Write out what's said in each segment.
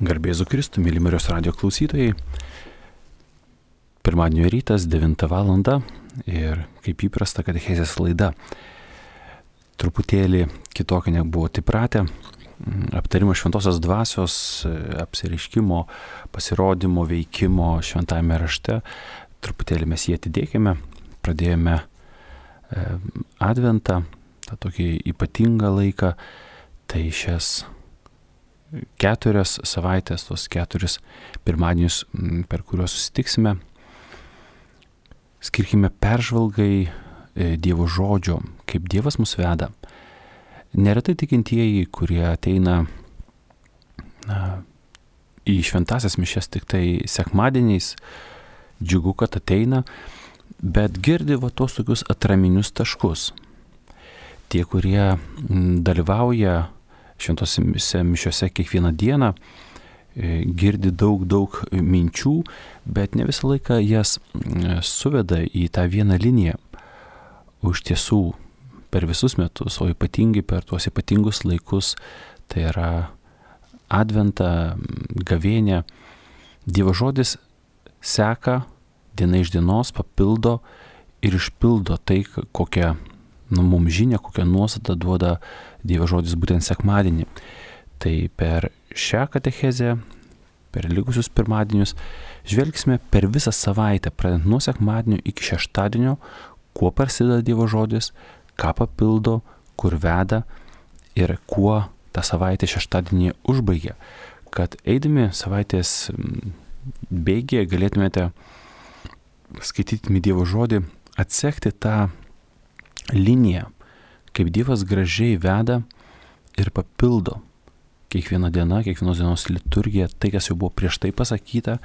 Garbė Jėzui Kristui, myli Marijos radijo klausytojai. Pirmadienio rytas, 9 val. Ir kaip įprasta katechezės laida. Truputėlį kitokia negu buvote įpratę. Aptarimo šventosios dvasios, apsireiškimo, pasirodymo, veikimo šventajame rašte. Truputėlį mes jį atidėkime. Pradėjome adventą, tą tokį ypatingą laiką. Tai šias 4 savaitės, tos 4 pirmadienius, per kuriuos susitiksime, skirkime peržvalgai Dievo žodžio, kaip Dievas mus veda. Neretai tikintieji, kurie ateina į šventasias mišias tik tai sekmadieniais, džiugu, kad ateina, bet girdi tos tokius atraminius taškus. Tie, kurie dalyvauja šventosiuose mišiuose kiekvieną dieną, girdi daug minčių, bet ne visą laiką jas suveda į tą vieną liniją. O iš tiesų per visus metus, o ypatingai per tuos ypatingus laikus, tai yra adventą, gavėnią, Dievo žodis seka diena iš dienos, papildo ir išpildo tai, kokią mums žinia, kokią nuostatą duoda Dievo žodis būtent sekmadienį. Tai per šią katechezę, per likusius pirmadienius, žvelgsime per visą savaitę, pradedant nuo sekmadienio iki šeštadienio, kuo prasideda Dievo žodis, ką papildo, kur veda ir kuo tą savaitę šeštadienį užbaigia. Kad eidami savaitės bėgyje galėtumėte skaitydami Dievo žodį, atsekti tą liniją, kaip Dievas gražiai veda ir papildo kiekvieną dieną, kiekvienos dienos liturgiją, tai, kas jau buvo prieš tai pasakyta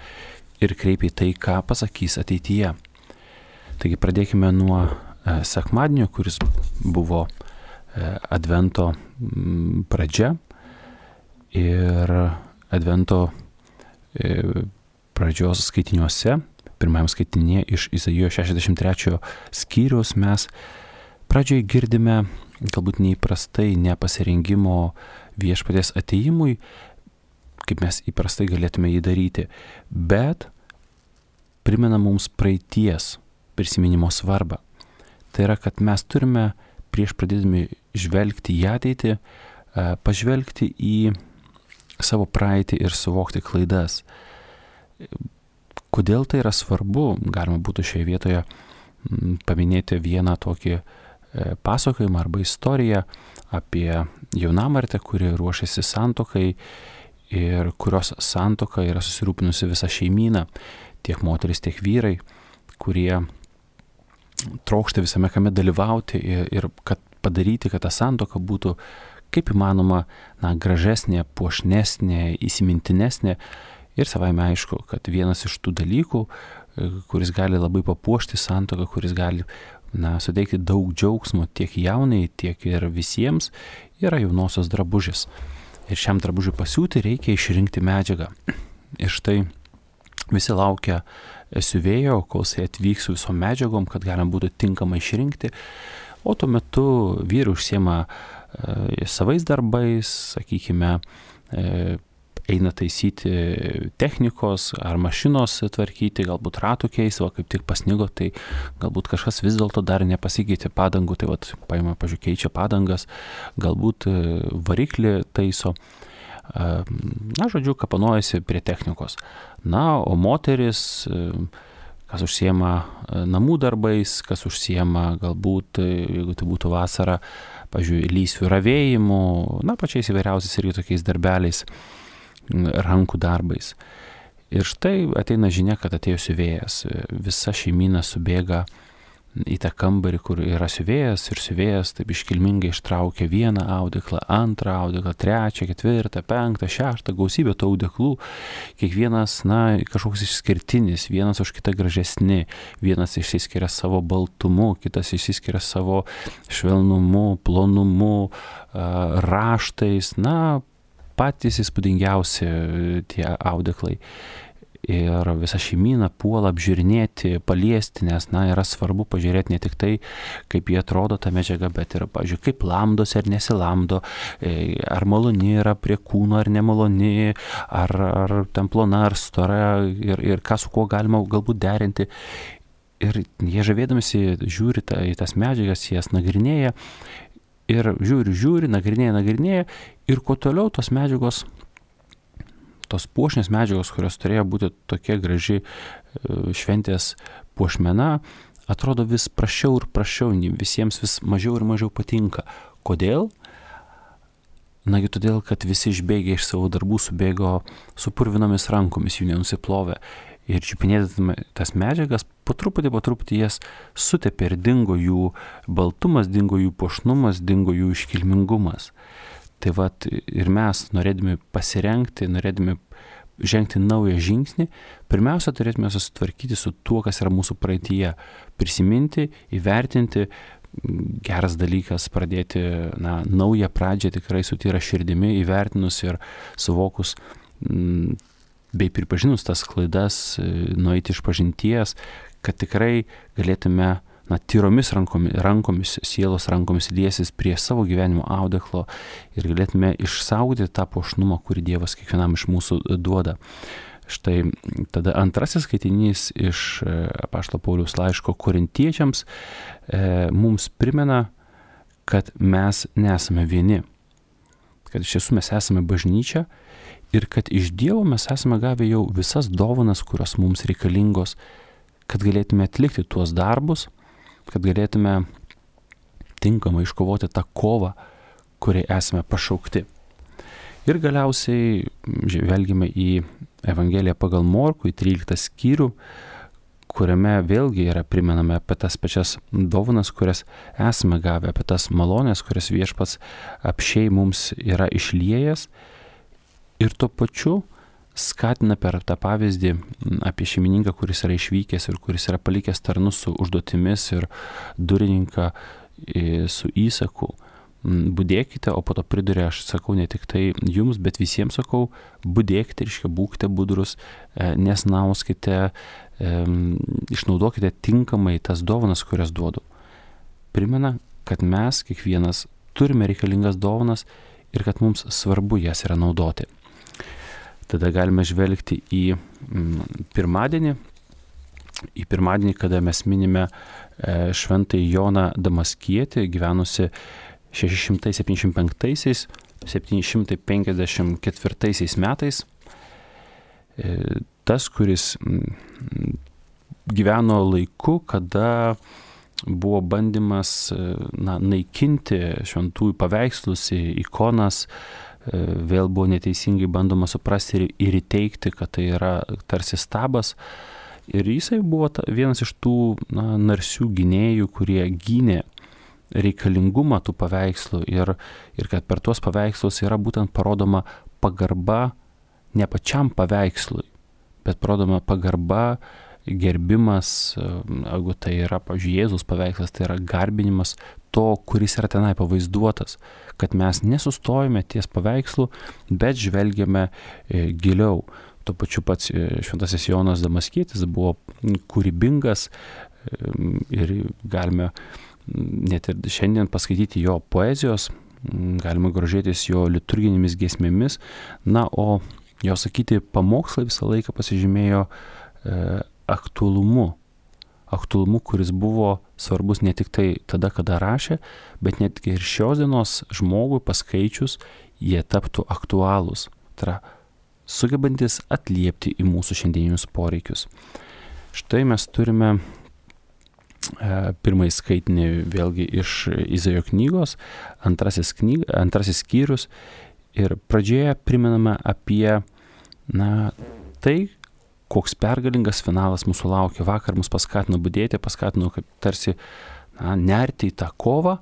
ir kreipia į tai, ką pasakys ateityje. Taigi pradėkime nuo sekmadienio, kuris buvo advento pradžia ir advento pradžios skaitiniuose, pirmajam skaitinėje iš Izaijo 63 skyriaus mes pradžioje girdime galbūt neįprastai nepasirengimo viešpaties atėjimui, kaip mes įprastai galėtume jį daryti, bet primena mums praeities prisiminimo svarbą. Tai yra, kad mes turime prieš pradėdami žvelgti į ateitį, pažvelgti į savo praeitį ir suvokti klaidas. Kodėl tai yra svarbu? Galima būtų šioje vietoje paminėti vieną tokį pasakojimą arba istoriją apie jaunamartę, kuri ruošiasi santuokai ir kurios santuoka yra susirūpinusi visa šeimyna, tiek moteris, tiek vyrai, kurie trokšta visame kame dalyvauti ir kad padaryti, kad ta santuoka būtų kaip įmanoma gražesnė, puošnesnė, įsimintinesnė. Ir savaime aišku, kad vienas iš tų dalykų, kuris gali labai papuošti santuoką, kuris gali suteikti daug džiaugsmo tiek jaunai, tiek ir visiems, yra jaunosios drabužis. Ir šiam drabužiui pasiūti reikia išrinkti medžiagą. Ir štai visi laukia siuvėjo, kol jisai atvyks su visom medžiagom, kad galima būtų tinkamai išrinkti. O tuo metu vyrai užsiema savais darbais, sakykime, eina taisyti technikos ar mašinos tvarkyti, galbūt ratų keisti, o kaip tik pasnigo, tai galbūt kažkas vis dėlto dar nepasikeitė padangų, tai paima, keičia padangas, galbūt variklį taiso, žodžiu, kapanojasi prie technikos. O moteris, kas užsiema namų darbais, kas užsiema galbūt, jeigu tai būtų vasara, lysvių ravėjimu, pačiais įvairiausiais irgi tokiais darbeliais, rankų darbais. Ir štai ateina žinia, kad atėjo siuvėjas. Visa šeimyna subėga į tą kambarį, kur yra siuvėjas, ir siuvėjas taip iškilmingai ištraukia vieną audeklą, antrą audeklą, trečią, ketvirtą, penktą, šeštą, gausybę tų audeklų. Kiekvienas, kažkoks išskirtinis, vienas už kitą gražesni, vienas išsiskiria savo baltumu, kitas išsiskiria savo švelnumu, plonumu, raštais, patys įspūdingiausi tie audeklai. ir visa šeimyna puola apžiūrinėti, paliesti, nes, yra svarbu pažiūrėti ne tik tai, kaip jie atrodo ta medžiaga, bet ir, pavyzdžiui, kaip lamdosi ar nesilamdo, ar maloni yra prie kūno ar nemaloni, ar ten plona ar stora ir ką su kuo galima galbūt derinti. Ir jie žavėdamasi žiūri į tas medžiagas, jas nagrinėja ir žiūri, nagrinėja ir kuo toliau tos medžiagos, tos puošnės medžiagos, kurios turėjo būti tokia graži šventės puošmena, atrodo vis prasčiau ir prasčiau, visiems vis mažiau ir mažiau patinka. Kodėl? Nagi todėl, kad visi išbėgę iš savo darbų subėgo su purvinomis rankomis, jų nenusiplovė. Ir čiupinėdami tas medžiagas, po truputį jas sutepė ir dingo jų baltumas, dingo jų puošnumas, dingo jų iškilmingumas. Tai vat ir mes, norėdami pasirengti, norėdami žengti naują žingsnį, pirmiausia turėtume susitvarkyti su tuo, kas yra mūsų praeityje. Prisiminti, įvertinti, geras dalykas pradėti naują pradžią tikrai su tyra širdimi, įvertinus ir suvokus bei pripažinus tas klaidas, nueiti iš pažinties, kad tikrai galėtume tyromis rankomis, sielos rankomis liesis prie savo gyvenimo audeklo ir galėtume išsaugoti tą puošnumą, kurį Dievas kiekvienam iš mūsų duoda. Štai tada antrasis skaitinys iš apaštalo Pauliaus laiško Korintiečiams mums primena, kad mes nesame vieni, kad iš tiesų mes esame bažnyčia ir kad iš Dievo mes esame gavę jau visas dovanas, kurios mums reikalingos, kad galėtume atlikti tuos darbus, kad galėtume tinkamai iškovoti tą kovą, kuriai esame pašaukti. Ir galiausiai žvelgime į Evangeliją pagal Morkų, į 13 skyrių, kuriame vėlgi yra primename apie tas pačias dovanas, kurias esame gavę, apie tas malonės, kurias Viešpats apsčiai mums yra išliejęs. Ir tuo pačiu skatina per tą pavyzdį apie šeimininką, kuris yra išvykęs ir kuris yra palikęs tarnus su užduotimis ir durininką su įsaku. Budėkite, o po to priduria, aš sakau ne tik tai jums, bet visiems sakau, budėkite, reiškia, būkite budrus, nesnauskite, išnaudokite tinkamai tas dovanas, kurias duodu. Primena, kad mes kiekvienas turime reikalingas dovanas ir kad mums svarbu jas yra naudoti. Tada galime žvelgti į pirmadienį, kada mes minime šventąjį Joną Damaskietį, gyvenusi 675-754 metais. Tas, kuris gyveno laiku, kada buvo bandymas naikinti šventųjų paveikslus, ikonas, vėl buvo neteisingai bandoma suprasti ir įteikti, kad tai yra tarsi stabas. Ir jisai buvo vienas iš tų narsių gynėjų, kurie gynė reikalingumą tų paveikslų ir kad per tuos paveikslus yra būtent parodoma pagarba ne pačiam paveikslui, bet parodoma pagarba, gerbimas, jeigu tai yra, pavyzdžiui, Jėzus paveikslas, tai yra garbinimas to, kuris yra tenai pavaizduotas, kad mes nesustojame ties paveikslu, bet žvelgiame giliau. Tuo pačiu pats šventasis Jonas Damaskietis buvo kūrybingas ir galime net ir šiandien paskaityti jo poezijos, galima grožėtis jo liturginėmis giesmėmis, o jo sakyti pamokslai visą laiką pasižymėjo aktualumu, kuris buvo svarbus ne tik tai tada, kada rašė, bet netgi ir šios dienos žmogui paskaičius jie taptų aktualūs, tai yra sugebantis atliepti į mūsų šiandieninius poreikius. Štai mes turime pirmąjį skaitinį vėlgi iš Izaijo knygos, antrasis skyrius, ir pradžioje primename apie tai, koks pergalingas finalas mūsų laukia. Vakar mus paskatino budėti, paskatino kaip tarsi nerti į tą kovą,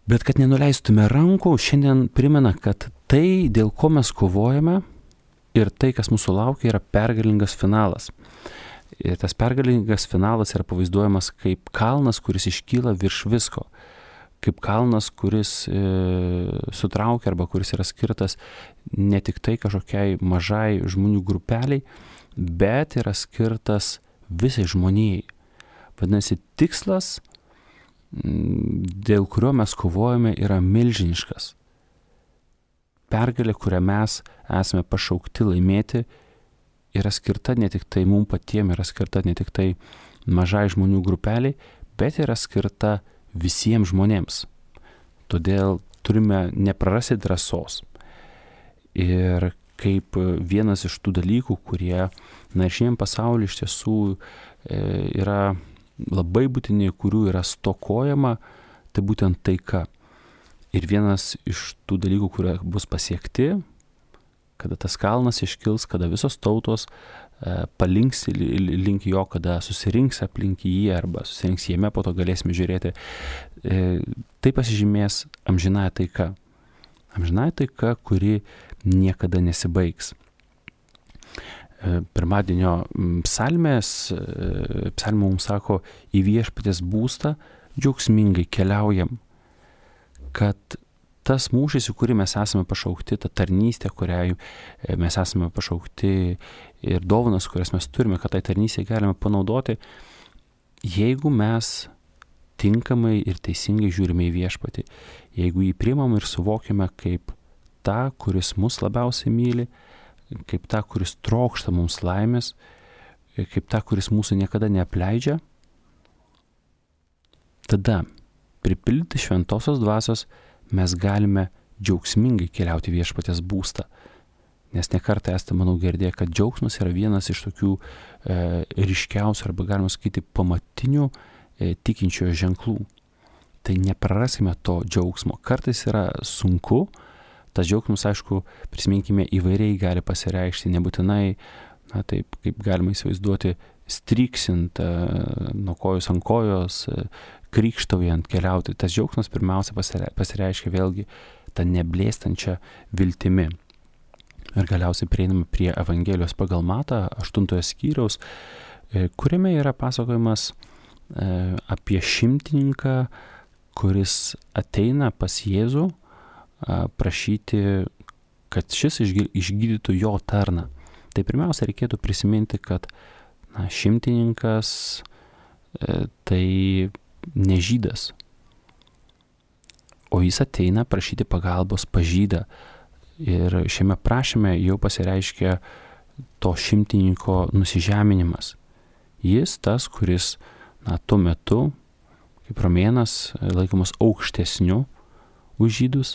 bet kad nenuleistume rankų, šiandien primena, kad tai, dėl ko mes kovojame ir tai, kas mūsų laukia, yra pergalingas finalas. Ir tas pergalingas finalas yra pavaizduojamas kaip kalnas, kuris iškyla virš visko. kaip kalnas, kuris sutraukia arba kuris yra skirtas ne tik tai kažkokiai mažai žmonių grupeliai, bet yra skirtas visai žmonijai. Vadinasi, tikslas, dėl kurio mes kovojame, yra milžiniškas. Pergalė, kurią mes esame pašaukti laimėti, yra skirta ne tik tai mums patiems, yra skirta ne tik tai mažai žmonių grupeliai, bet yra skirta visiems žmonėms. Todėl turime neprarasti drąsos. Ir kaip vienas iš tų dalykų, kurie šiandien pasaulyje iš tiesų yra labai būtini, kurių yra stokojama, tai būtent taika. Ir vienas iš tų dalykų, kurie bus pasiekti, kada tas kalnas iškils, kada visos tautos palinks link jo, kada susirinks aplink jį arba susirinks jame, po to galėsime žiūrėti. Tai pasižymės amžinąja taika. Amžinąja taika, kuri niekada nesibaigs. Pirmadienio psalmė mums sako, į viešpaties būstą džiaugsmingai keliaujam, kad tas mūšis, į kurį mes esame pašaukti, ta tarnystė, kuriai mes esame pašaukti ir dovanas, kurias mes turime, kad tai tarnystė galime panaudoti, jeigu mes tinkamai ir teisingai žiūrime į viešpatį, jeigu jį priimam ir suvokime kaip tą, kuris mus labiausiai myli, kaip tą, kuris trokšta mums laimės, kaip tą, kuris mūsų niekada neapleidžia, tada pripildyti šventosios dvasios mes galime džiaugsmingai keliauti viešpaties būstą. Nes nekartą esate, manau, girdėję, kad džiaugsmas yra vienas iš tokių ryškiausių arba galima sakyti pamatinių tikinčiojo ženklų. Tai nepraraskime to džiaugsmo. Kartais yra sunku, tas džiaugsmas, aišku, prisiminkime, įvairiai gali pasireikšti, nebūtinai, taip kaip galima įsivaizduoti, stryksint nuo kojos ant kojos, krykštaujant, keliauti. Tas džiaugsmas pirmiausia pasireiškia vėlgi tą neblėstančią viltimi. Ir galiausiai prieiname prie Evangelijos pagal Matą 8 skyriaus, kuriame yra pasakojimas apie šimtininką, kuris ateina pas Jėzų prašyti, kad šis išgydytų jo tarną. Tai pirmiausia reikėtų prisiminti, kad šimtininkas tai ne žydas, o jis ateina prašyti pagalbos pas žydą. Ir šiame prašyme jau pasireiškia to šimtininko nusižeminimas. Jis tas, kuris tuo metu, kaip romėnas, laikomas aukštesniu už žydus,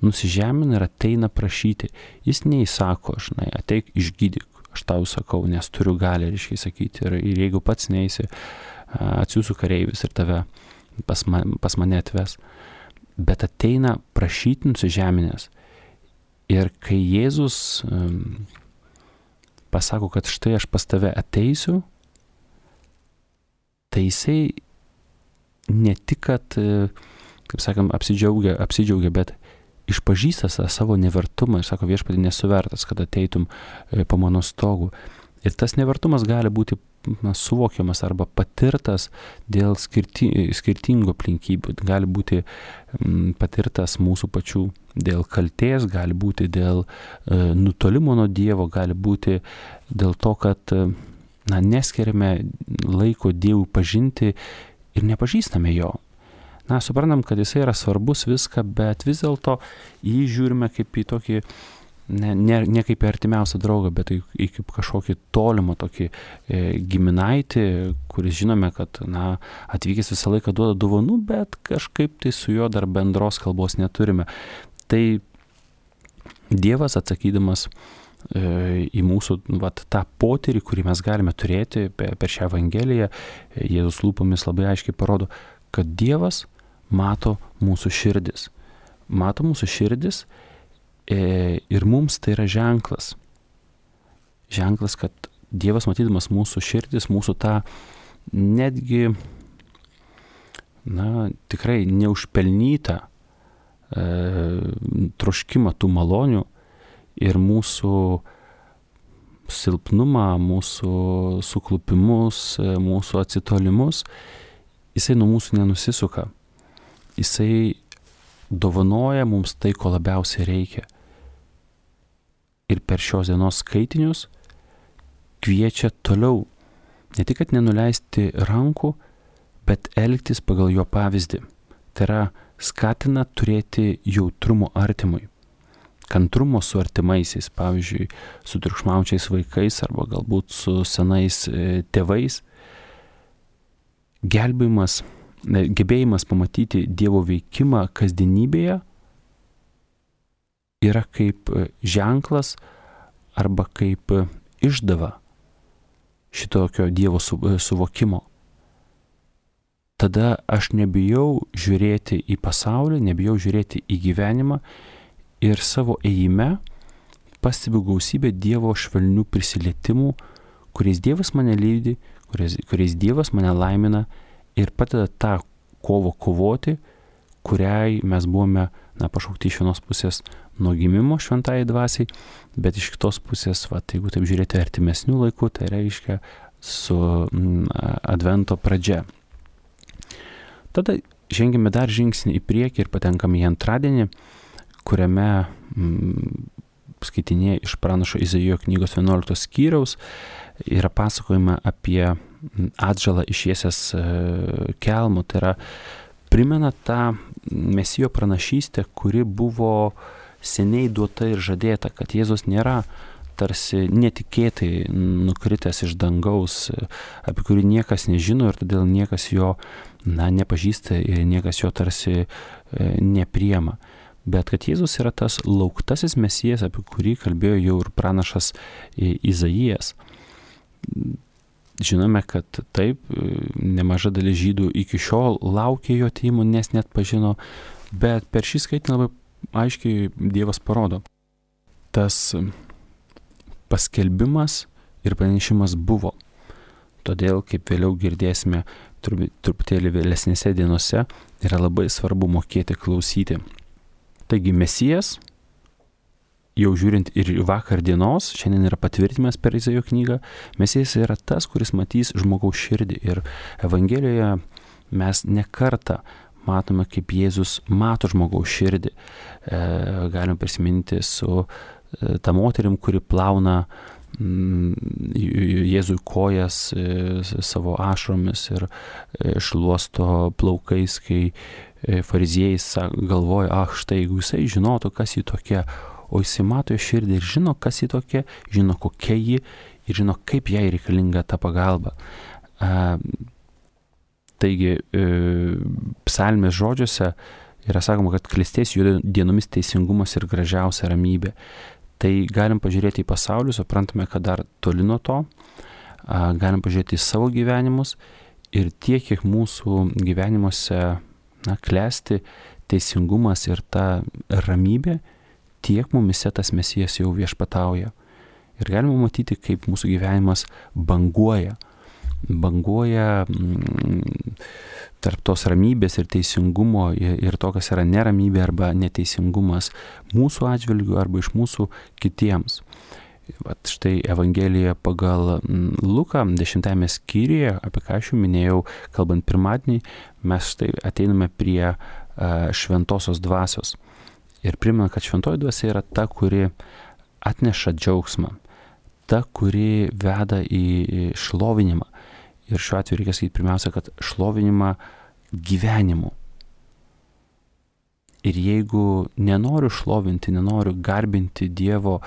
nusižemina ir ateina prašyti. Jis neįsako, ateik išgydyk, aš tau sakau, nes turiu galią, reiškia sakyti. Ir jeigu pats neisi, atsiųsiu kareivius ir tave pas mane atves. Bet ateina prašyti nusižeminęs. Ir kai Jėzus pasako, kad štai aš pas tave ateisiu, tai jisai ne tik, kad, kaip sakant, apsidžiaugia, bet išpažįsta savo nevertumą ir sako, viešpatie, nesu vertas, kad ateitum po mano stogu. Ir tas nevertumas gali būti suvokiamas arba patirtas dėl skirtingų aplinkybių. Gali būti patirtas mūsų pačių dėl kaltės, gali būti dėl nutolimo nuo Dievo, gali būti dėl to, kad neskiriame laiko Dievui pažinti ir nepažįstame jo. Suprantam, kad jisai yra svarbus viską, bet vis dėlto jį žiūrime kaip į tokį ne kaip į artimiausią draugą, bet į kaip kažkokį tolimą tokį giminaitį, kuris žinome, kad atvykęs visą laiką duoda dovanų, bet kažkaip tai su juo dar bendros kalbos neturime. Tai Dievas atsakydamas į mūsų tą potyrį, kurį mes galime turėti per šią Evangeliją, Jėzus lūpomis labai aiškiai parodo, kad Dievas mato mūsų širdis. Mato mūsų širdis ir mums tai yra ženklas. Ženklas, kad Dievas matydamas mūsų širdis, mūsų tą netgi, tikrai neužpelnytą troškimą tų malonių ir mūsų silpnumą, mūsų suklupimus, mūsų atsitolimus, jisai nuo mūsų nenusisuka. jisai dovanoja mums tai, ko labiausiai reikia. Ir per šios dienos skaitinius kviečia toliau ne tik, kad nenuleisti rankų, bet elgtis pagal jo pavyzdį. Tai yra skatina turėti jautrumo artimui, kantrumo su artimaisiais, pavyzdžiui, su triukšmaujančiais vaikais arba galbūt su senais tėvais. Gebėjimas pamatyti Dievo veikimą kasdienybėje yra kaip ženklas arba kaip išdava šitokio Dievo suvokimo. Tada aš nebijau žiūrėti į pasaulį, nebijau žiūrėti į gyvenimą ir savo ėjime pastebiu gausybę Dievo švelnių prisilietimų, kuriais Dievas mane lydi, kuriais Dievas mane laimina ir padeda tą kovą kovoti, kuriai mes buvome pašaukti iš vienos pusės nuo gimimo šventajai dvasiai, bet iš kitos pusės, jeigu taip žiūrėti artimesnių laikų, tai reiškia su Advento pradžia. Tada žengėme dar žingsnį į priekį ir patenkame į antradienį, kuriame skaitinėje iš pranašo Izaijo knygos 11 skyriaus yra pasakojama apie atžalą išiesęs kelmo. Tai yra primena tą Mesijo pranašystę, kuri buvo seniai duota ir žadėta, kad Jėzus nėra tarsi netikėtai nukritęs iš dangaus, apie kurį niekas nežino ir todėl niekas jo nepažįsta ir niekas jo tarsi nepriema. Bet kad Jėzus yra tas lauktasis Mesijas, apie kurį kalbėjo jau ir pranašas Izaijas. Žinome, kad taip, nemaža dalis žydų iki šiol laukė jo atėjimo, nes net pažino, bet per šį skaitinį labai aiškiai Dievas parodo. Tas paskelbimas ir pranešimas buvo. Todėl, kaip vėliau girdėsime truputėlį vėlesnėse dienose, yra labai svarbu mokėti klausyti. Taigi Mesijas, jau žiūrint ir vakar dienos, šiandien yra patvirtinimas per Izaijo knygą, Mesijas yra tas, kuris matys žmogaus širdį. Ir Evangelijoje mes ne kartą matome, kaip Jėzus mato žmogaus širdį. Galime prisiminti su ta moterim, kuri plauna Jėzui kojas savo ašromis ir šluosto plaukais, kai fariziejai galvoja, štai, jeigu jisai žinotų, kas jį tokia, o jisai mato jo širdį ir žino, kas jį tokia, žino, kokia ji ir žino, kaip jai reikalinga ta pagalba. Taigi, psalmės žodžiuose yra sakoma, kad klestės jų dienomis teisingumas ir gražiausia ramybė. Tai galim pažiūrėti į pasaulį, suprantame, kad dar toli nuo to, galim pažiūrėti į savo gyvenimus ir tiek, kiek mūsų gyvenimuose klesti teisingumas ir ta ramybė, tiek mumise tas Mesijas jau viešpatauja. Ir galime matyti, kaip mūsų gyvenimas banguoja tarp tos ramybės ir teisingumo ir to, kas yra neramybė arba neteisingumas mūsų atžvilgių arba iš mūsų kitiems. Vat štai Evangelija pagal Luką 10 skyriuje, apie ką aš jau minėjau, kalbant pirmadienį, mes štai ateiname prie šventosios dvasios. Ir primena, kad šventoji dvasia yra ta, kuri atneša džiaugsmą, ta, kuri veda į šlovinimą. Ir šiuo atveju reikia sakyti pirmiausia, kad šlovinimą gyvenimu. Ir jeigu nenoriu šlovinti, nenoriu garbinti Dievo,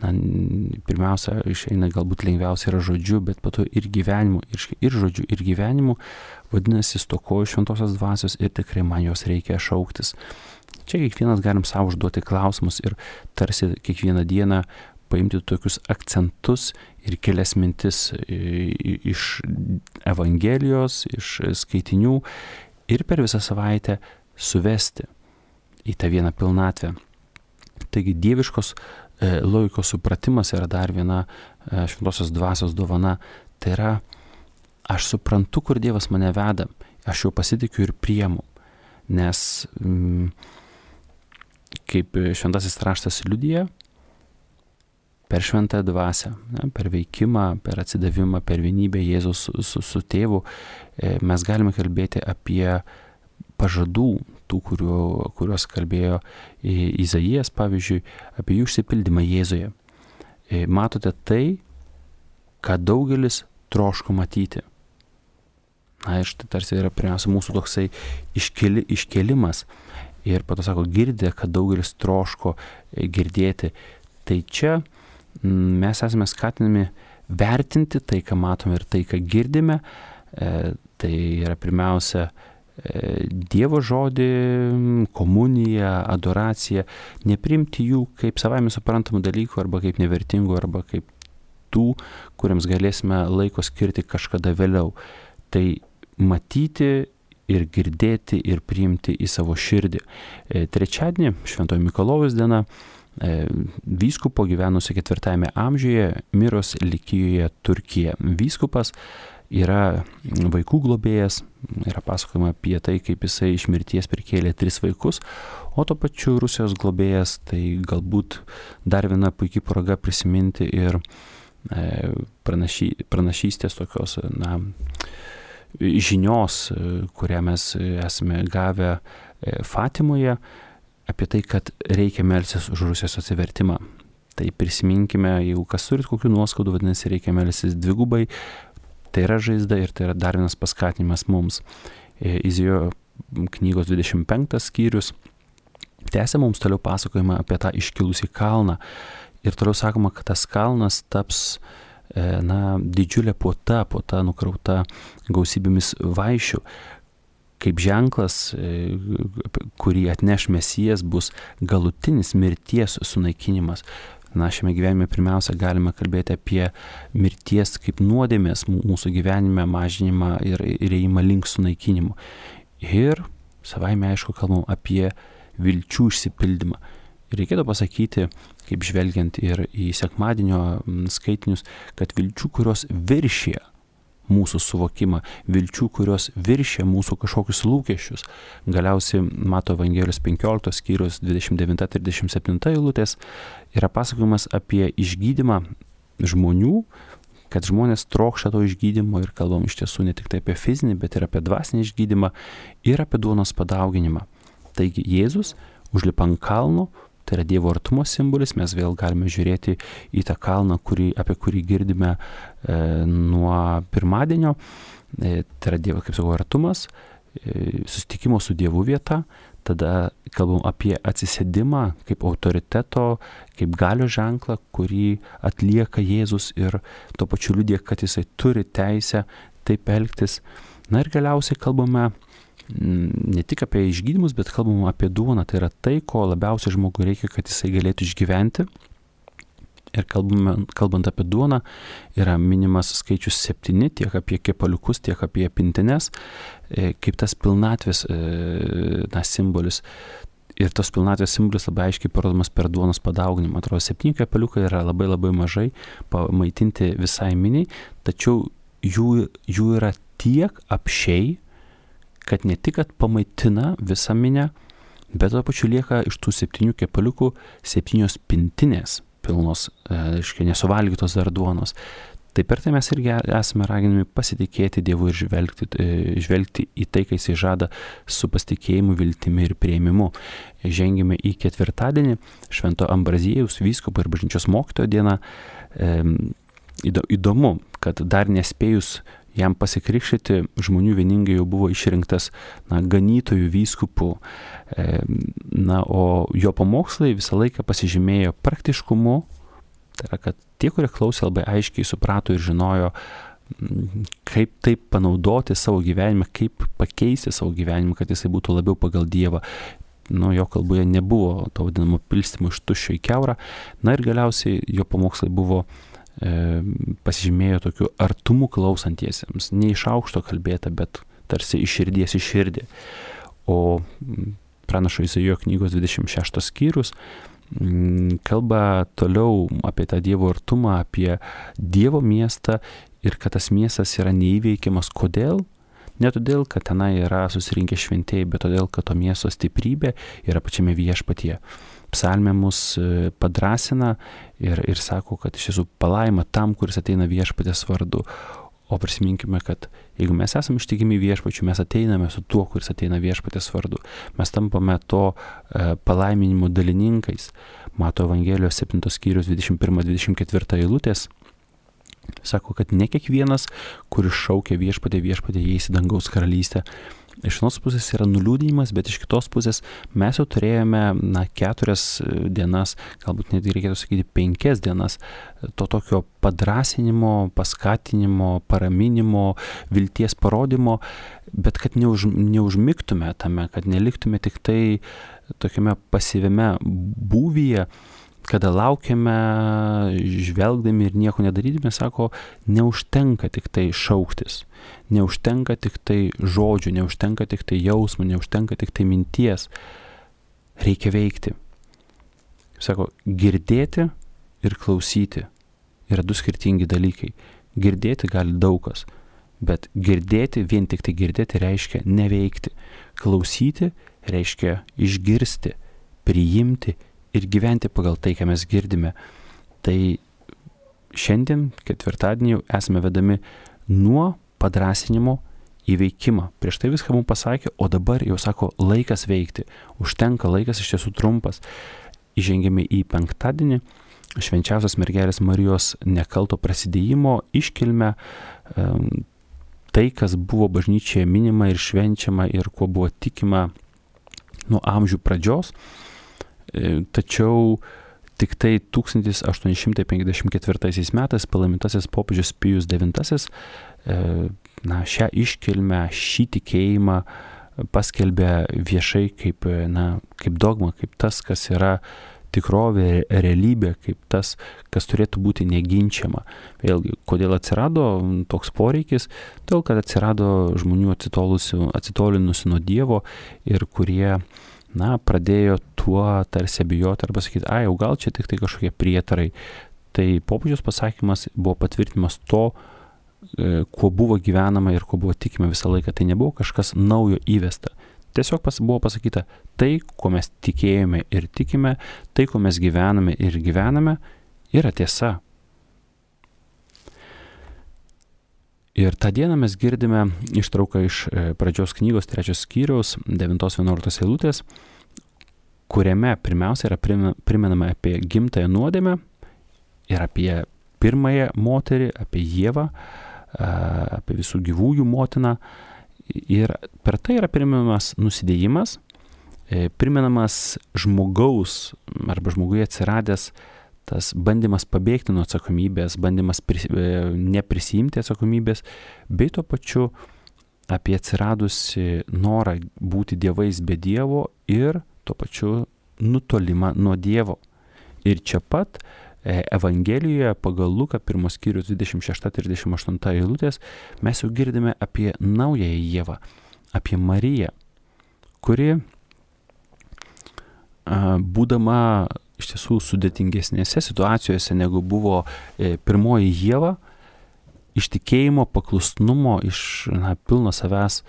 pirmiausia, išeina galbūt lengviausia yra žodžiu, bet po to ir gyvenimu, ir žodžiu, ir gyvenimu, vadinasi, stokoju šventosios dvasios ir tikrai man jos reikia šauktis. Čia kiekvienas galim savo užduoti klausimus ir tarsi kiekvieną dieną paimti tokius akcentus ir kelias mintis iš Evangelijos, iš skaitinių ir per visą savaitę suvesti į tą vieną pilnatvę. Taigi dieviškos logikos supratimas yra dar viena šventosios dvasios dovana. Tai yra, aš suprantu, kur Dievas mane veda, aš jau pasitikiu ir priimu, nes kaip šventasis raštas liudija, per šventą dvasią, per veikimą, per atsidavimą, per vienybę Jėzus su tėvu, mes galime kalbėti apie pažadų, tų, kuriuos kalbėjo Izaijas, pavyzdžiui, apie jų išsipildymą Jėzuje. Matote tai, ką daugelis troško matyti. Na ir štai tarsi yra pirmiausia mūsų toksai iškėlimas. Ir po to sako, girdė, kad daugelis troško girdėti. Tai čia mes esame skatinami vertinti tai, ką matome ir tai, ką girdime. Tai yra pirmiausia Dievo žodį, komuniją, adoraciją, nepriimti jų kaip savaime suprantamų dalykų arba kaip nevertingų arba kaip tų, kuriems galėsime laiko skirti kažkada vėliau. Tai matyti ir girdėti ir priimti į savo širdį. Trečiadienį, Šventojo Mikalojaus diena, vyskupo gyvenusio 4 amžiuje, Miros Likijoje, Turkija. Vyskupas yra vaikų globėjas, yra pasakojama apie tai, kaip jisai iš mirties prikėlė 3 vaikus, o to pačiu Rusijos globėjas, tai galbūt dar viena puikia proga prisiminti ir pranašystės tokios, žinios, kurią mes esame gavę Fatimoje, apie tai, kad reikia melstis už Rusijos atsivertimą. Tai prisiminkime, jeigu kas turit kokių nuoskaudų, vadinasi, reikia melstis dvigubai. Tai yra žaizda ir tai yra dar vienas paskatinimas mums. Izaijo knygos 25 skyrius tęsia mums toliau pasakojimą apie tą iškilusį kalną. Ir toliau sakoma, kad tas kalnas taps didžiulė puota nukrauta gausybėmis vaišių. Kaip ženklas, kurį atneš Mesijas, bus galutinis mirties sunaikinimas. Šiame gyvenime pirmiausia galime kalbėti apie mirties kaip nuodėmės mūsų gyvenime mažinimą ir ėjimą link sunaikinimo. Ir savaime aišku kalbam apie vilčių išsipildymą. Reikėtų pasakyti, kaip žvelgiant ir į sekmadienio skaitinius, kad vilčių, kurios viršė mūsų suvokimą, vilčių, kurios viršė mūsų kažkokius lūkesčius. Galiausiai Mato Evangelijos 15 skyrius 29-37 eilutės yra pasakojimas apie išgydymą žmonių, kad žmonės trokšta to išgydymo ir kalbam iš tiesų ne tik tai apie fizinį, bet ir apie dvasinį išgydymą ir apie duonos padauginimą. Taigi Jėzus užlipa ant kalno, tai yra Dievo artumo simbolis, mes vėl galime žiūrėti į tą kalną, apie kurį girdime nuo pirmadienio, tai yra Dievo, kaip sakau, artumas, susitikimo su Dievu vieta, tada kalbam apie atsisėdimą kaip autoriteto, kaip galios ženklą, kurį atlieka Jėzus ir tuo pačiu liudija, kad jisai turi teisę taip elgtis. Ir galiausiai kalbame ne tik apie išgydymus, bet kalbam apie duoną. Tai yra tai, ko labiausiai žmogui reikia, kad jisai galėtų išgyventi. Ir kalbant apie duoną, yra minimas skaičius 7, tiek apie kepaliukus, tiek apie pintines, kaip tas pilnatvės simbolis. Ir tos pilnatvės simbolis labai aiškiai parodomas per duonos padauginimą. Atrodo, 7 kepaliukai yra labai labai mažai pamaitinti visai miniai, tačiau jų yra tiek apsčiai, kad ne tik, kad pamaitina visą minę, bet tuo pačiu lieka iš tų 7 kepaliukų 7 pintinės pilnos, nesuvalgytos dar duonos. Tai per tai mes irgi esame raginami pasitikėti Dievu ir žvelgti į tai, kai jisai žada su pasitikėjimu, viltimi ir priėmimu. Žengime į ketvirtadienį, Švento Ambraziejaus vyskupo ir bažnyčios mokytojo dieną. Įdomu, kad dar nespėjus jam pasikrikštyti, žmonių vieningai jau buvo išrinktas ganytojų vyskupų, o jo pamokslai visą laiką pasižymėjo praktiškumu, tai yra, kad tie, kurie klausė, labai aiškiai suprato ir žinojo, kaip taip panaudoti savo gyvenimą, kaip pakeisti savo gyvenimą, kad jisai būtų labiau pagal Dievą. Jo kalboje nebuvo to vadinamo pilstymo iš tuščio į kiaurą. Ir galiausiai jo pamokslai buvo pasižymėjo tokiu artumu klausantiesiems, ne iš aukšto kalbėta, bet tarsi iš širdies į širdį. O pranašo Izaijo knygos 26 skyrius kalba toliau apie tą Dievo artumą, apie Dievo miestą ir kad tas miestas yra neįveikiamas. Kodėl? Ne todėl, kad tenai yra susirinkę šventieji, bet todėl, kad to miesto stiprybė yra pačiame viešpatyje. Psalmė mus padrasina ir sako, kad iš tiesų palaima tam, kuris ateina viešpatės vardu. O prisiminkime, kad jeigu mes esame ištikimi viešpačiu, mes ateiname su tuo, kuris ateina viešpatės vardu. Mes tampame to palaiminimo dalininkais. Mato Evangelijos 7 skyrius 21-24 eilutės. Sako, kad ne kiekvienas, kuris šaukia viešpatė, įeis į dangaus karalystę. Iš vienos pusės yra nuliūdinimas, bet iš kitos pusės mes jau turėjome 4 dienas, galbūt netgi reikėtų sakyti 5 dienas, to tokio padrasinimo, paskatinimo, paraminimo, vilties parodymo, bet kad neužmigtume tame, kad neliktume tik tai tokiame pasyviame būvyje, kada laukiame, žvelgdami ir nieko nedarydami, sako, neužtenka tik tai šauktis, neužtenka tik tai žodžių, neužtenka tik tai jausmų, neužtenka tik tai minties. Reikia veikti. Sako, girdėti ir klausyti yra 2 skirtingi dalykai. Girdėti gali daug kas, bet girdėti, vien tik tai girdėti reiškia neveikti. Klausyti reiškia išgirsti, priimti ir gyventi pagal tai, ką mes girdime. Tai šiandien, ketvirtadienį, jau esame vedami nuo padrasinimo į veikimą. Prieš tai viską mums pasakė, o dabar jau sako, laikas veikti. Užtenka, laikas iš tiesų trumpas. Įžengėme į penktadienį, švenčiausios mergelės Marijos nekalto prasidėjimo iškilmę, tai, kas buvo bažnyčioje minima ir švenčiama ir kuo buvo tikima nuo amžių pradžios. Tačiau tik tai 1854 metais palaimintasis popiežius Pijus IX šią iškilmę, šį tikėjimą paskelbė viešai kaip dogma, kaip tas, kas yra tikrovė, realybė, kaip tas, kas turėtų būti neginčiama. Vėlgi, kodėl atsirado toks poreikis? Todėl, kad atsirado žmonių atsitolinusių nuo Dievo ir kurie pradėjo tuo tarsi abejoti arba sakyti, jau gal čia tik tai kažkokie prietarai. Tai popiežiaus pasakymas buvo patvirtinimas to, kuo buvo gyvenama ir kuo buvo tikima visą laiką. Tai nebuvo kažkas naujo įvesta. Tiesiog buvo pasakyta, tai, kuo mes tikėjome ir tikime, tai, kuo mes gyvename ir gyvename, yra tiesa. Ir tą dieną mes girdime ištrauką iš pradžios knygos 3 skyriaus 9-11 eilutės, kuriame pirmiausia yra primenama apie gimtąją nuodėmę ir apie pirmąją moterį, apie Ievą, apie visų gyvųjų motiną. Ir per tai yra primenamas nusidėjimas, primenamas žmogaus arba žmoguje atsiradęs tas bandymas pabėgti nuo atsakomybės, bandymas neprisiimti atsakomybės, bei tuo pačiu apie atsiradusi norą būti dievais be Dievo ir tuo pačiu nutolimą nuo Dievo. Ir čia pat Evangelijoje pagal Luką 1 skyrius 26-38 eilutės mes jau girdime apie naująją Ievą, apie Mariją, kuri būdama iš tiesų sudėtingesnėse situacijose negu buvo pirmoji Ieva, iš tikėjimo, paklusnumo, iš pilno savęs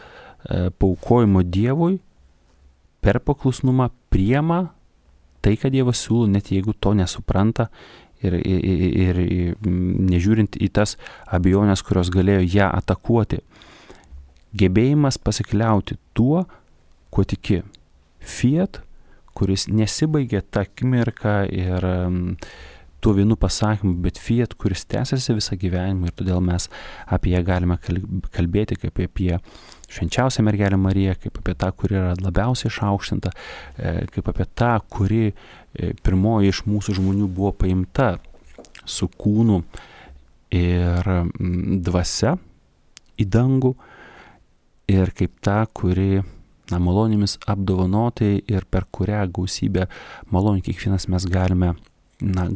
paaukojimo Dievui, per paklusnumą priima tai, ką Dievas siūlo, net jeigu to nesupranta ir nežiūrint į tas abejonės, kurios galėjo ją atakuoti. Gebėjimas pasikliauti tuo, kuo tiki. Fiat, kuris nesibaigia tą akimirką ir tuo vienu pasakymu, bet fiat, kuris tęsiasi visą gyvenimą ir todėl mes apie ją galime kalbėti kaip apie švenčiausią mergelę Mariją, kaip apie tą, kuri yra labiausiai išaukštinta, kaip apie tą, kuri pirmoji iš mūsų žmonių buvo paimta su kūnu ir dvasia į dangų ir kaip tą, kuri malonėmis apdovanotai ir per kurią gausybę malonių kiekvienas mes galime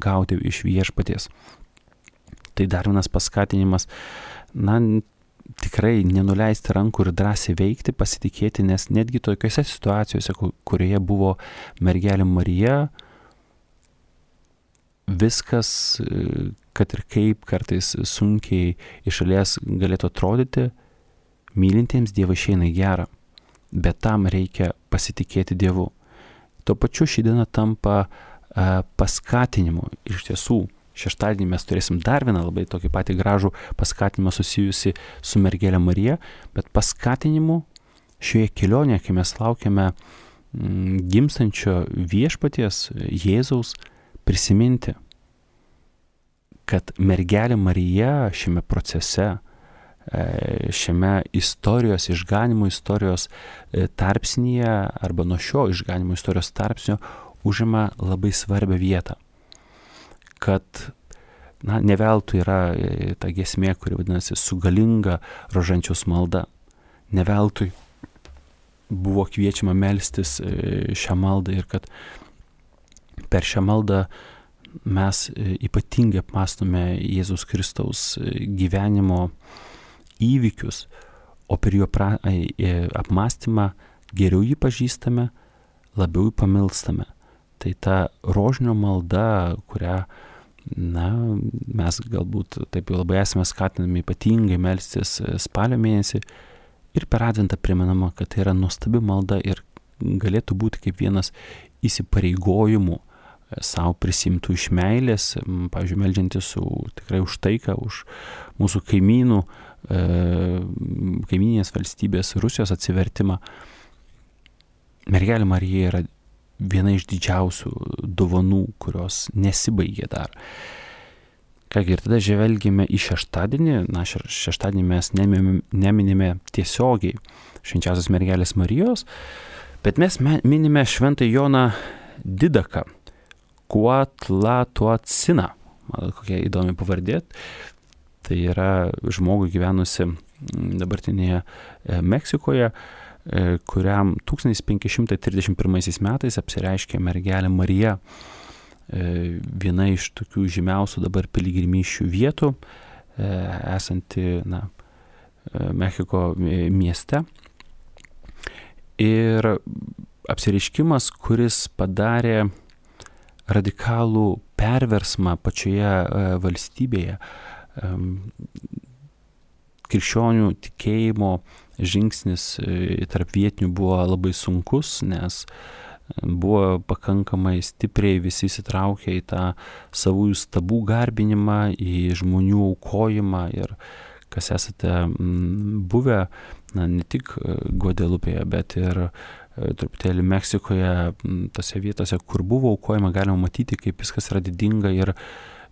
gauti iš viešpaties. Tai dar vienas paskatinimas, tikrai nenuleisti rankų ir drąsiai veikti, pasitikėti, nes netgi tokiose situacijose, kurioje buvo mergelė Marija, viskas, kad ir kaip kartais sunkiai iš šalies galėtų atrodyti, mylintiems Dievą išeina į gerą, bet tam reikia pasitikėti Dievu. Tuo pačiu ši diena tampa paskatinimu. Iš tiesų, šeštadienį mes turėsim dar vieną labai tokį patį gražų paskatinimą susijusi su mergelė Marija, bet paskatinimu šioje kelionėje, kai mes laukiame gimstančio viešpaties Jėzaus, prisiminti, kad mergelė Marija šiame procese, šiame istorijos, išganimo istorijos tarpsnyje arba nuo šio išganimo istorijos tarpsnio užima labai svarbią vietą. Kad ne veltui yra ta giesmė, kuri vadinasi su galinga rožančiaus malda. Ne veltui buvo kviečiama melstis šią maldą ir kad per šią maldą mes ypatingai apmąstome Jėzus Kristaus gyvenimo įvykius, o per jo apmąstymą geriau jį pažįstame, labiau jį pamilstame. Tai ta rožinio malda, kurią mes galbūt taip jau labai esame skatinami ypatingai melstis spalio mėnesį ir per Adventą primenama, kad tai yra nuostabi malda ir galėtų būti kaip vienas įsipareigojimų savo prisimtų iš meilės, pavyzdžiui, meldžiantis tikrai už taiką, už mūsų kaimyninės valstybės Rusijos atsivertimą. Mergelė Marija yra viena iš didžiausių dovanų, kurios nesibaigė dar. Kągi, ir tada žvelgime į šeštadienį. Šeštadienį mes neminime tiesiogiai švenčiausios mergelės Marijos, bet mes minime šventą Joną Didaką, Kuatlatoaciną. Kokia įdomi pavardė. Tai yra žmogui gyvenusi dabartinėje Meksikoje, kuriam 1531 metais apsireiškė mergelė Marija, viena iš tokių žymiausių dabar piligrimysčių vietų, esanti Mexiko mieste. Ir apsireiškimas, kuris padarė radikalų perversmą pačioje valstybėje, krikščionių tikėjimo žingsnis tarp vietinių buvo labai sunkus, nes buvo pakankamai stipriai visi įsitraukę į tą savųjų stabų garbinimą, į žmonių aukojimą ir kas esate buvę, ne tik Guadelupėje, bet ir truputėlį Meksikoje, tose vietose, kur buvo aukojama, galima matyti, kaip viskas yra didinga ir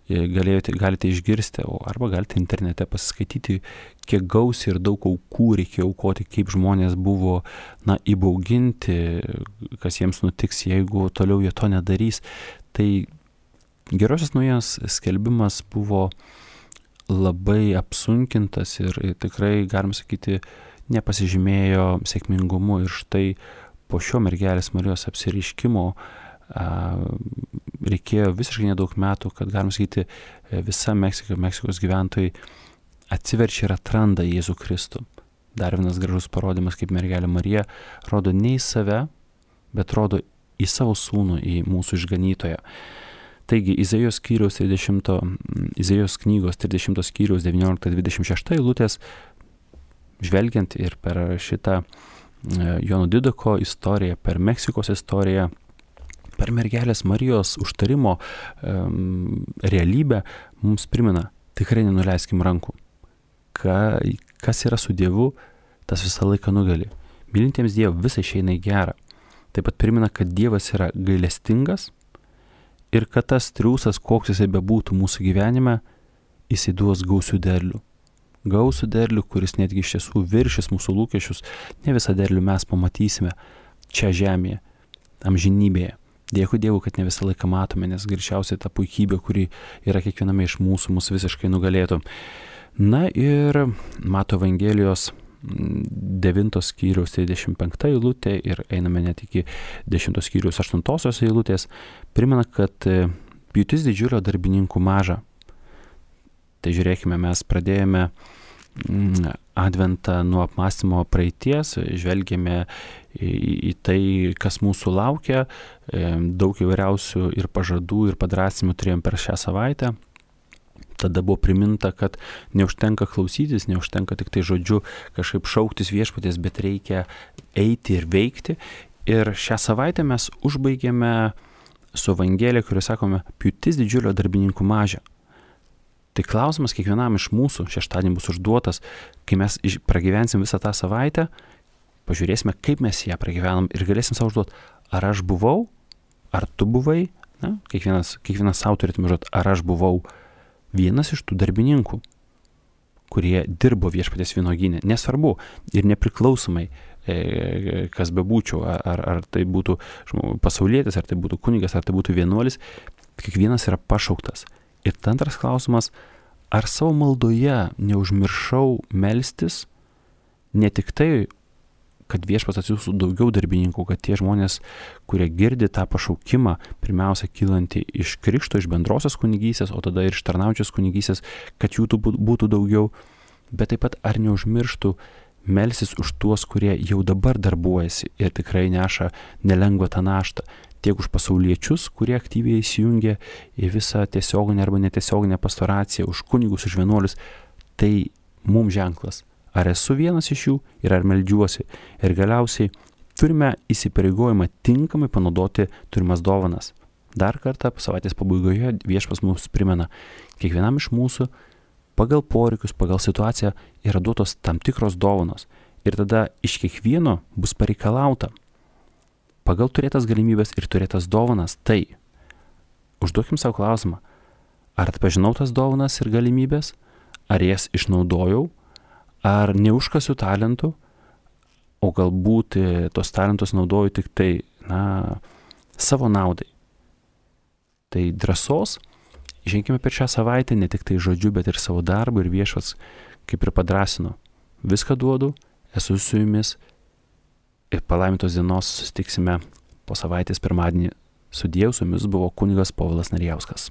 galite išgirsti, arba galite internete pasiskaityti, kiek gausiai ir daug aukų reikėjo aukoti, kaip žmonės buvo įbauginti, kas jiems nutiks, jeigu toliau jie to nedarys. Tai gerosios naujienos skelbimas buvo labai apsunkintas ir tikrai, galim sakyti, nepasižymėjo sėkmingumu. Ir štai po šio mergelės Marijos apsireiškimo reikėjo visiškai nedaug metų, kad, galim sakyti, visa Meksikos gyventojai atsiverčia ir atranda Jėzų Kristų. Dar vienas gražus parodymas, kaip mergelė Marija rodo ne į save, bet rodo į savo sūnų, į mūsų išganytoją. Taigi, Izaijo knygos 30 skyriaus 19-26 eilutės, žvelgiant ir per šitą Jono Didako istoriją, per Meksikos istoriją, per mergelės Marijos užtarimo realybę, mums primena, tikrai nenuleiskim rankų. Kas yra su Dievu, tas visą laiką nugali. Mylintiems Dievą visai išeina į gerą. Taip pat primena, kad Dievas yra gailestingas ir kad tas triūsas, koks jisai bebūtų mūsų gyvenime, jisai duos gausių derlių. Gausių derlių, kuris netgi iš tiesų viršis mūsų lūkesčius. Ne visą derlių mes pamatysime čia žemėje, amžinybėje. Dėkui Dievui, kad ne visą laiką matome, nes greičiausiai ta puikybė, kuri yra kiekviename iš mūsų, mus visiškai nugalėtų. Na ir Mato Evangelijos 9 skyriaus 35 eilutė ir einame net iki 10 skyriaus 8 eilutės, primena, kad pjūtis didžiulio darbininkų maža. Tai žiūrėkime, mes pradėjome Adventą nuo apmąstymo praeities, žvelgėme į tai, kas mūsų laukia, daug įvairiausių ir pažadų, ir padrąsinimų turėjom per šią savaitę. Tada buvo priminta, kad neužtenka klausytis, neužtenka tik tai žodžiu kažkaip šauktis viešpaties, bet reikia eiti ir veikti. Ir šią savaitę mes užbaigėme su Evangelija, kurioje sakome, pjūtis didžiulio darbininkų maža. Tai klausimas kiekvienam iš mūsų šeštadienį bus užduotas, kai mes pragyvensim visą tą savaitę, pažiūrėsime, kaip mes ją pragyvenam ir galėsim savo užduoti, ar aš buvau, ar tu buvai, na, kiekvienas savo turėtume žodžiu, ar aš buvau vienas iš tų darbininkų, kurie dirbo Viešpaties vynuogyne, nesvarbu ir nepriklausomai, kas bebūčiau, ar tai būtų pasaulietis, ar tai būtų kunigas, ar tai būtų vienuolis, kiekvienas yra pašauktas. Ir antras klausimas, ar savo maldoje neužmiršau melstis ne tik tai, kad Viešpats atsiųstų daugiau darbininkų, kad tie žmonės, kurie girdi tą pašaukimą, pirmiausia kylanti iš krikšto, iš bendrosios kunigystės, o tada ir iš tarnaujančios kunigystės, kad jų būtų daugiau, bet taip pat ar neužmirštų melstis už tuos, kurie jau dabar darbuojasi ir tikrai neša nelengvą tą naštą, tiek už pasauliečius, kurie aktyviai įsijungia į visą tiesioginę arba netiesioginę pastoraciją, už kunigus, už vienuolius, tai mums ženklas. Ar esu vienas iš jų ir ar meldžiuosi. Ir galiausiai turime įsipareigojimą tinkamai panaudoti turimas dovanas. Dar kartą savaitės pabaigoje Viešpats mums primena, kiekvienam iš mūsų pagal poreikius, pagal situaciją yra duotos tam tikros dovanos. Ir tada iš kiekvieno bus pareikalauta pagal turėtas galimybės ir turėtas dovanas. Tai užduokim savo klausimą, ar atpažinau tas dovanas ir galimybės, ar jas išnaudojau, ar neužkasiu talentų, o galbūt tos talentus naudoju tik tai, savo naudai. Tai drąsos, ženkime per šią savaitę, ne tik tai žodžiu, bet ir savo darbu ir Viešpats, kaip ir padrąsino. Viską duodu, esu su jumis ir palaimintos dienos susitiksime po savaitės pirmadienį. Su Dievu, su jumis buvo kunigas Povilas Narijauskas.